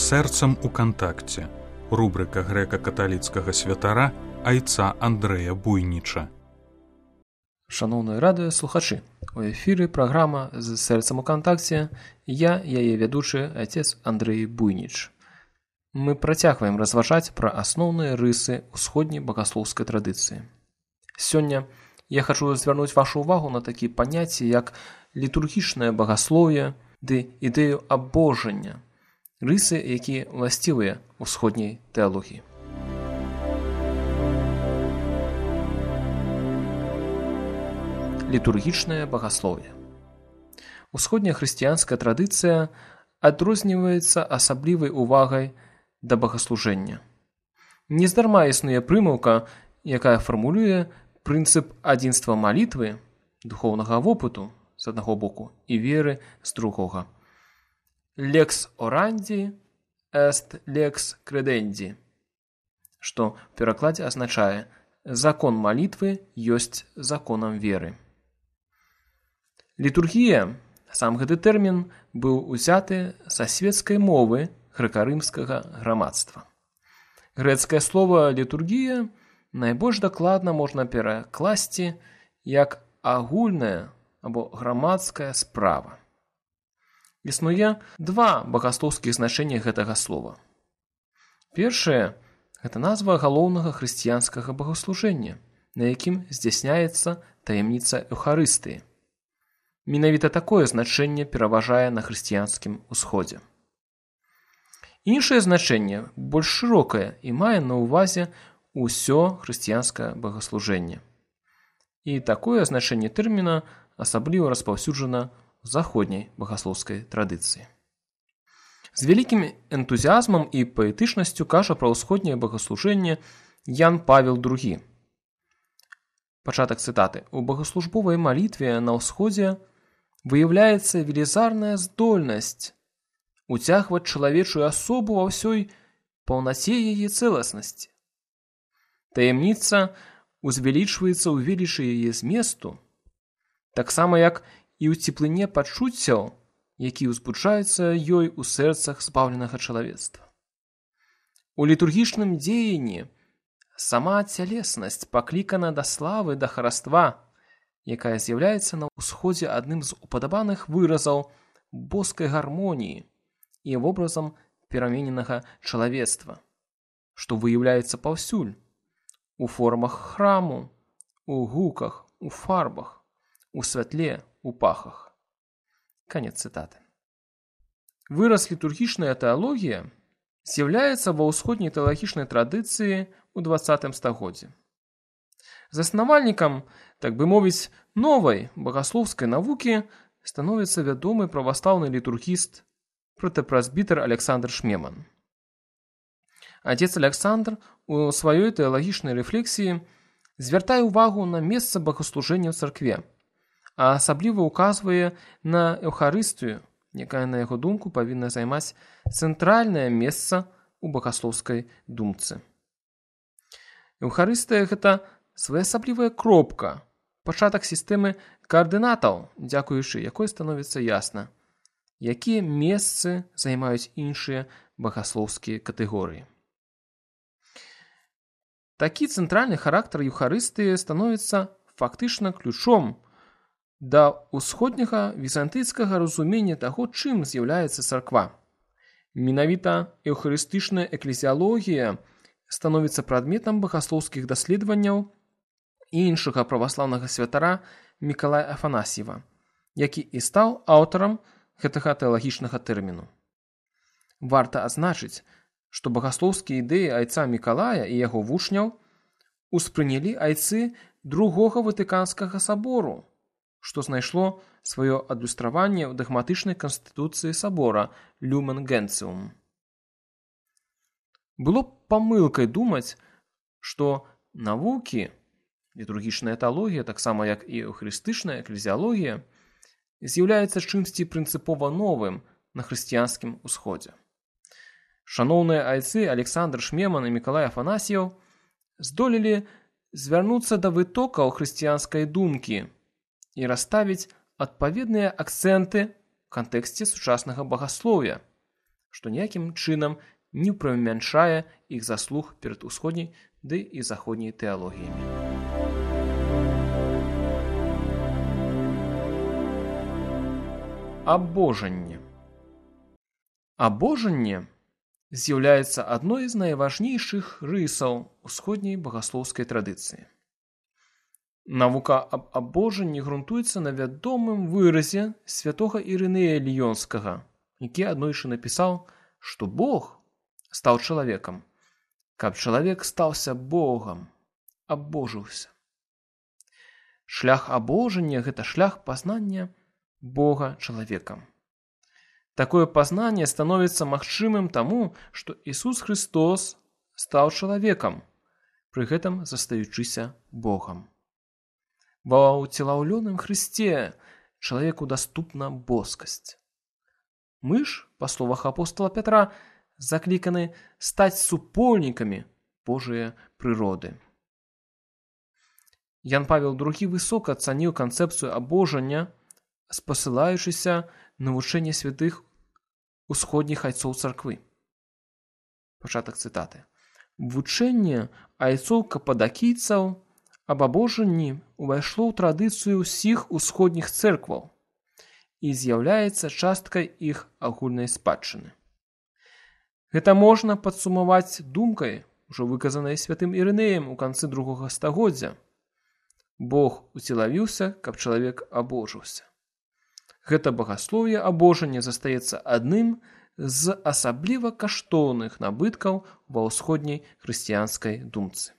Сэрцам у кантакце. Рубрика грэка-каталіцкага святара айца Андрэя Буйніча. Шаноўныя радыёслухачы, у эфіры праграма «З сэрцам у кантакце». Я, яе вядучы, айцец Андрэй Буйніч. Мы працягваем разважаць пра асноўныя рысы ўсходняй багаслоўскай традыцыі. Сёння я хачу звярнуць вашу ўвагу на такія паняцці, як літургічнае багаслоўе ды ідэю абожання, рысы, якія ўласцівыя ўсходняй тэалогіі. Літургічнае багаслоўе. Усходняя хрысціянская традыцыя адрозніваецца асаблівай увагай да багаслужэння. Нездарма існуе прымаўка, якая фармулюе прынцып адзінства малітвы, духоўнага вопыту з аднаго боку і веры з другога. Lex orandi est lex credendi, што ў перакладзе азначае «закон малітвы ёсць законам веры». Літургія, сам гэты тэрмін, быў узяты са свецкай мовы грэка-рымскага грамадства. Грэцкае слова «літургія» найбольш дакладна можна перакласці як агульная або грамадская справа. Існуе два багаслоўскіх значэння гэтага слова. Першае – гэта назва галоўнага хрысціянскага багаслужэння, на якім здзяйсняецца таямніца Еўхарыстыі. Менавіта такое значэнне пераважае на хрысціянскім усходзе. Іншае значэнне больш шырокае і мае на ўвазе ўсё хрысціянскае багаслужэнне. І такое значэнне тэрміна асабліва распаўсюджана ў заходняй багаслоўскай традыцыі. З вялікім энтузіазмам і паэтычнасцю кажа пра ўсходняе багаслужэнне Ян Павел II. Пачатак цытаты. «У багаслужбовай малітве на ўсходзе выяўляецца велізарная здольнасць уцягваць чалавечую асобу ва ўсёй паўнаце яе цэласнасці. Таямніца узвялічваецца ў велічы яе зместу, таксама як і ў цеплыні пачуццяў, які ўзбуджаюцца ёй у сэрцах збаўленага чалавецтва. У літургічным дзеянні сама цялеснасць паклікана да славы, да хараства, якая з'яўляецца на ўсходзе адным з упадабаных выразаў боскай гармоніі і вобразам перамененага чалавецтва, што выяўляецца паўсюль, у формах храму, у гуках, у фарбах, у святле, у пахах». Канец цытаты. Выраз літургічная тэалогія з'яўляецца ва ўсходняй тэалагічнай традыцыі ў 20 стагоддзі. Заснавальнікам, так бы мовіць, новай багаслоўскай навукі становіцца вядомы праваслаўны літургіст, протэпрэзбітэр Александр Шмеман. Адзец Александр у сваёй тэалагічнай рэфлексіі звяртае ўвагу на месца багаслужэння ў царкве, а асабліва ўказвае на Еўхарыстыю, якая, на яго думку, павінна займаць цэнтральнае месца ў багаслоўскай думцы. Еўхарыстыя – гэта своеасаблівая кропка, пачатак сістэмы каардынатаў, дзякуючы якой становіцца ясна, якія месцы займаюць іншыя багаслоўскія катэгорыі. Такі цэнтральны характар Еўхарыстыі становіцца фактычна ключом да ўсходняга візантыйскага разумення таго, чым з'яўляецца царква. Менавіта еўхарыстычная эклезіалогія становіцца прадметам багаслоўскіх даследаванняў і іншага праваслаўнага святара Мікалая Афанасьева, які і стаў аўтарам гэтага тэалагічнага тэрміну. Варта адзначыць, што багаслоўскія ідэі айца Мікалая і яго вучняў успрынялі айцы другога Ватыканскага сабору, што знайшло сваё адлюстраванне ў дагматычнай канстытуцыі сабора Люмен Генціум. Было б памылкай думаць, што навукі, літургічная тэалогія, таксама як і еўхарыстычная эклезіалогія, з'яўляецца чымсьці прынцыпова новым на хрысціянскім усходзе. Шаноўныя айцы Александр Шмеман і Мікалай Афанасьеў здолелі звярнуцца да вытокаў хрысціянскай думкі і расставіць адпаведныя акцэнты ў кантэксце сучаснага багаслоўя, што ніякім чынам не прамяншае іх заслуг перад усходняй ды і заходняй тэалогіямі. Абожанне. Абожанне з'яўляецца адной з найважнейшых рысаў усходняй багаслоўскай традыцыі. Навука аб абожанні грунтуецца на вядомым выразе святога Ірынея Ліёнскага, які аднойчы напісаў, што Бог стаў чалавекам, каб чалавек стаўся Богам, абожыўся. Шлях абожання – гэта шлях пазнання Бога чалавекам. Такое пазнанне становіцца магчымым таму, што Ісус Христос стаў чалавекам, пры гэтым застаючыся Богам. Ва ўцелаўлёным Хрысце чалавеку даступна боскасць. Мы ж, па словах апостола Пятра, закліканы стаць супольнікамі Божыя прыроды. Ян Павел II высока цаніў канцэпцыю абожання, спасылаючыся на вучэнне святых усходніх айцоў царквы. Пачатак цытаты. Вучэнне айцоў кападакійцаў аб абожанні ўвайшло ў традыцыю ўсіх усходніх цэркваў і з'яўляецца часткай іх агульнай спадчыны. Гэта можна падсумаваць думкай, ужо выказанай святым Ірынеем у канцы другога стагоддзя. Бог уцелавіўся, каб чалавек абожыўся. Гэта багаслоўе абожання застаецца адным з асабліва каштоўных набыткаў ва ўсходняй хрысціянскай думцы.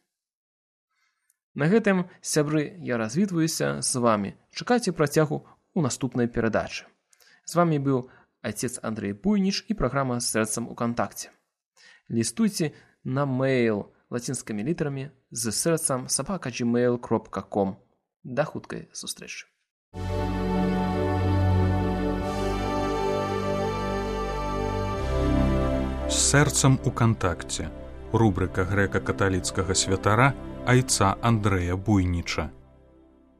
На гэтым, сябры, я развітваюся з вамі. Чакайце працягу ў наступнай перадачы. З вамі быў отец Андрей Буйніч і праграма з сэрцам у кантакце. Лістуйце на мэйл лацінскімі літарамі з сэрцам @gmail.com. Да хуткай сустрэчы. З сэрцам у кантакце. Рубрика грэка-каталіцкага святара айца Андрэя Буйніча.